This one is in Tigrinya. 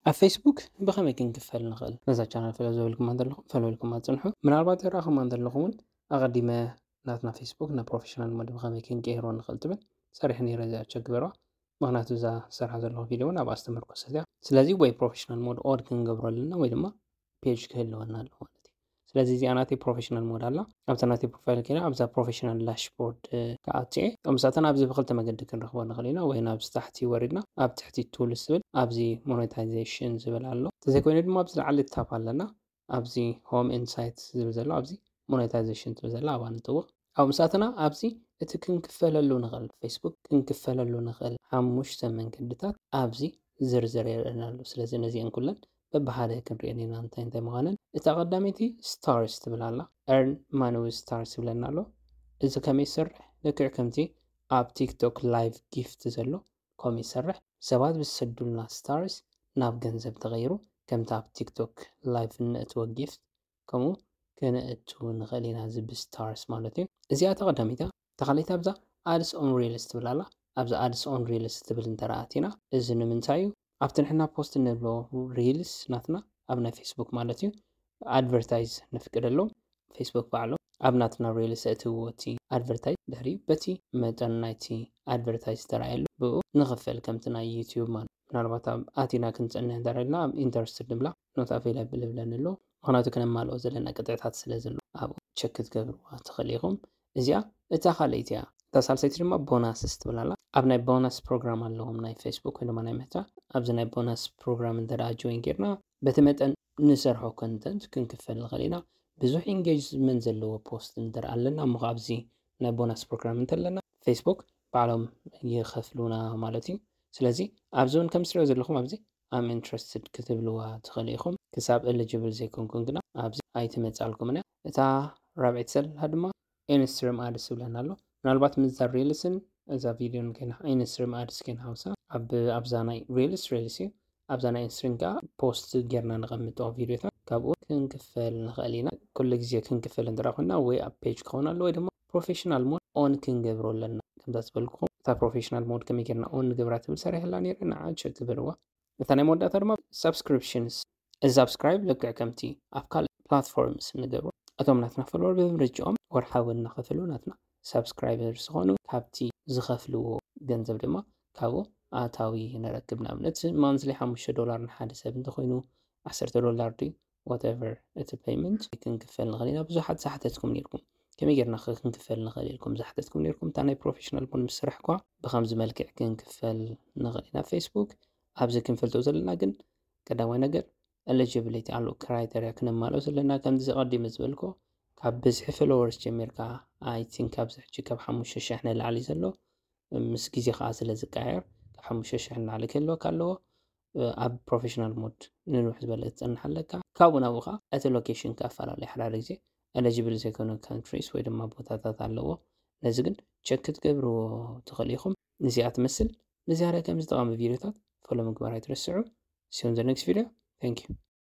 ኣብ ፌስቡክ ብኸመይ ክንክፈል ንኽእል? ነዛ ቻናል ፈለብ ዘበልኩም እንተለኹም ፈለብልኩም ኣጽንሑ። ምናልባት የረኣኹም እንተለኹም እውን ኣቐዲመ ናትና ፌስቡክ ናብ ፕሮፌሽናል ሞድ ብኸመይ ክንቀይሮ ንኽእል ትብል ሰሪሕ ነይረ። እዚኣ ቸክ ግበርዋ። ምኽንያቱ እዛ ዝሰርሓ ዘለኹ ቪድዮ እውን ኣብኣ ዝተመርኮሰት እያ። ስለዚ ወይ ፕሮፌሽናል ሞድ ኦን ክንገብሮ ኣለና ወይ ድማ ፔጅ ክህልወና ኣሎ ማለት እዩ። ስለዚ እዚኣ ናተይ ፕሮፌሽናል ሞድ ኣላ። ኣብታ ናተይ ፕሮፋይል ከይና ኣብዛ ፕሮፌሽናል ዳሽቦርድ ክኣትየ። ከምሳተን ኣብዚ ብክልተ መገዲ ክንረኽቦ ንኽእል ኢና። ወይ ናብዚ ታሕቲ ወሪድና ኣብ ትሕቲ ቱልስ ዝብል ኣብዚ ሞኔታይዜሽን ዝብል ኣሎ። እንተዘይኮይኑ ድማ ኣብዚ ላዕሊ ታፕ ኣለና። ኣብዚ ሆም ኢንሳይት ዝብል ዘሎ ኣብዚ ሞኔታይዜሽን ትብል ዘላ ኣብኣ ንጥውቕ። ኣብ ምሳትና ኣብዚ እቲ ክንክፈለሉ ንኽእል ፌስቡክ ክንክፈለሉ ንኽእል ሓሙሽተ መንገድታት ኣብዚ ዝርዝር የርእየና ኣሎ። ስለዚ ነዚአን ኩለን በብሓደ ክንሪአን ኢና እንታይ እንታይ ምዃነን። እታ ቀዳመይቲ ስታርስ ትብል ኣላ። ኤርን ማኒ ዊዝ ስታርስ ይብለና ኣሎ። እዚ ከመይ ይሰርሕ? ልክዕ ከምቲ ኣብ ቲክቶክ ላይቭ ጊፍት ዘሎ ከምኡ ይሰርሕ። ሰባት ብዝሰዱልና ስታርስ ናብ ገንዘብ ተቐይሩ፣ ከምቲ ኣብ ቲክቶክ ላይቭ እነእትዎ ጊፍት ከምኡ ክነእቱ ንኽእል ኢና፣ እዚ ብስታርስ ማለት እዩ። እዚኣ እታ ቀዳመይቲ እያ። እታ ካልኣይቲ ኣብዛ ኣድስ ኦን ሪልስ ትብል ኣላ። ኣብዛ ኣድስ ኦን ሪልስ ትብል እንተ ኣቲና፣ እዚ ንምንታይ እዩ? ኣብቲ ንሕና ፖስት እንብሎ ሪልስ ናትና ኣብ ናይ ፌስቡክ ማለት እዩ ኣድቨርታይዝ ነፍቅደሎም። ፌስቡክ ባዕሎም ኣብ ናትና ሪልስ እትዎ እቲ ኣድቨርታይዝ ድሕሪ በቲ መጠን ናይቲ ኣድቨርታይዝ ተራእየሉ ብኡ ንኽፈል ከምቲ ናይ ዩቲዩብ ማለት። ምናልባት ኣብ ኣቲና ክንጸንሕ እንተደልና ኣብ ኢንተረስትድ ንብላ ኖት ኣቬይላብል ይብለኒ ኣሎ። ምኽንያቱ ክነማልኦ ዘለና ቅጥዕታት ስለ ዘሎ ኣብኡ ቸክ ክትገብርዋ ትኽእል ኢኹም። እዚኣ እታ ካልኣይቲ እያ። እታ ሳልሰይቲ ድማ ቦናስስ ትብል ኣላ። ኣብ ናይ ቦናስ ፕሮግራም ኣለዎም ናይ ፌስቡክ ወይ ድማ ናይ መታ። ኣብዚ ናይ ቦናስ ፕሮግራም እንተ ደኣ ጆይን ጌርና በቲ መጠን ንሰርሖ ኮንተንት ክንክፈል ንኽእል ኢና። ብዙሕ ኢንጌጅመንት ዘለዎ ፖስት እንተ ደኣ ኣለና እሞ ኣብዚ ናይ ቦናስ ፕሮግራም እንተለና ፌስቡክ ባዕሎም ይኸፍሉና ማለት እዩ። ስለዚ ኣብዚ እውን ከም ትሪኦ ዘለኹም ኣብዚ ኣም ኢንትረስትድ ክትብልዋ ትኽእሉ ኢኹም። ክሳብ ኤሊጅብል ዘይኮንኩም ግና ኣብዚ ኣይትመጻልኩምን እያ። እታ ራብዐይቲ ዘላ ድማ ኢንስትሪም ኣድስ ይብለና ኣሎ። ምናልባት ምስዛ ሪልስን እዛ ቪድዮን ከይና ኢንስትሪም ኣድስ ከይንሓውሳ ኣብ ኣብዛ ናይ ሪልስ ሪልስ እዩ። ኣብዛ ናይ ኢንስትሪም ከዓ ፖስት ጌርና ነቐምጦ ቪድዮታት ካብኡ ክንክፈል ንኽእል ኢና። ኩሉ ግዜ ክንክፈል እንተ ኮይና ወይ ኣብ ፔጅ ክኸውን ኣሎ ወይ ድማ ፕሮፌሽናል ሞድ ኦን ክንገብሮ ኣለና። ከምዛ ዝበልኩኹም እታ ፕሮፌሽናል ሞድ ከመይ ጌርና ኦን ንገብራ ትብል ሰሪሕላ ነይረ፣ ንዓ ቸክ ግበርዋ። እታ ናይ መወዳእታ ድማ ሳብስክሪፕሽንስ። እዚ ሳብስክራይብ ልክዕ ከምቲ ኣብ ካልእ ፕላትፎርምስ ንገብሮ እቶም ናትና ፎሎወር ብምርጫኦም ወርሓዊ እናኸፈሉ ናትና ሳብስክራይበር ዝኾኑ ካብቲ ዝኸፍልዎ ገንዘብ ድማ ካብኡ ኣታዊ ንረክብ። ንኣብነት ማንዝሊ ሓሙሽተ ዶላር ንሓደ ሰብ እንተኾይኑ ዓሰርተ ዶላር ድዩ ዋትኤቨር እቲ ፔይመንት ክንክፈል ንኽእል ኢና። ብዙሓት ዝሓተትኩም ነይርኩም ከመይ ጌርና ኸ ክንክፈል ንኽእል ኢልኩም ዝሓተትኩም ነይርኩም። እታ ናይ ፕሮፌሽናል ሞድ ምስ ሰራሕኳ ብኸምዚ መልክዕ ክንክፈል ንኽእል ኢና። ፌስቡክ ኣብዚ ክንፈልጦ ዘለና ግን ቀዳማይ ነገር ኤሊጂቢሊቲ ኣሎ ክራይተርያ ክነማልኦ ዘለና ከምዚ ቀዲመ ዝበልኮ ካብ ብዝሒ ፎሎወርስ ጀሚርካ ኣይ ቲንክ ኣብዚ ሕጂ ካብ ሓሙሽተ ሽሕ ንላዕሊ ዘሎ ምስ ግዜ ከዓ ስለ ዝቀያየር ካብ ሓሙሽተ ሽሕ ንላዕሊ ክህልወካ ኣለዎ። ኣብ ፕሮፌሽናል ሞድ ንንውሕ ዝበለ ትፀንሕ ኣለካ። ካብኡ ናብኡ ከዓ እቲ ሎኬሽን ክፈላለ ሓደ ሓደ ግዜ ኤሊጂብል ዘይኮኑ ካንትሪስ ወይ ድማ ቦታታት ኣለዎ። ነዚ ግን ቸክ ክትገብርዎ ትኽእሉ ኢኹም። ንዚኣ ትመስል ንዝያዳ ከም ዝጠቐሚ ቪድዮታት ፎሎ ምግባር ኣይትረስዑ። See you in the next video. Thank you.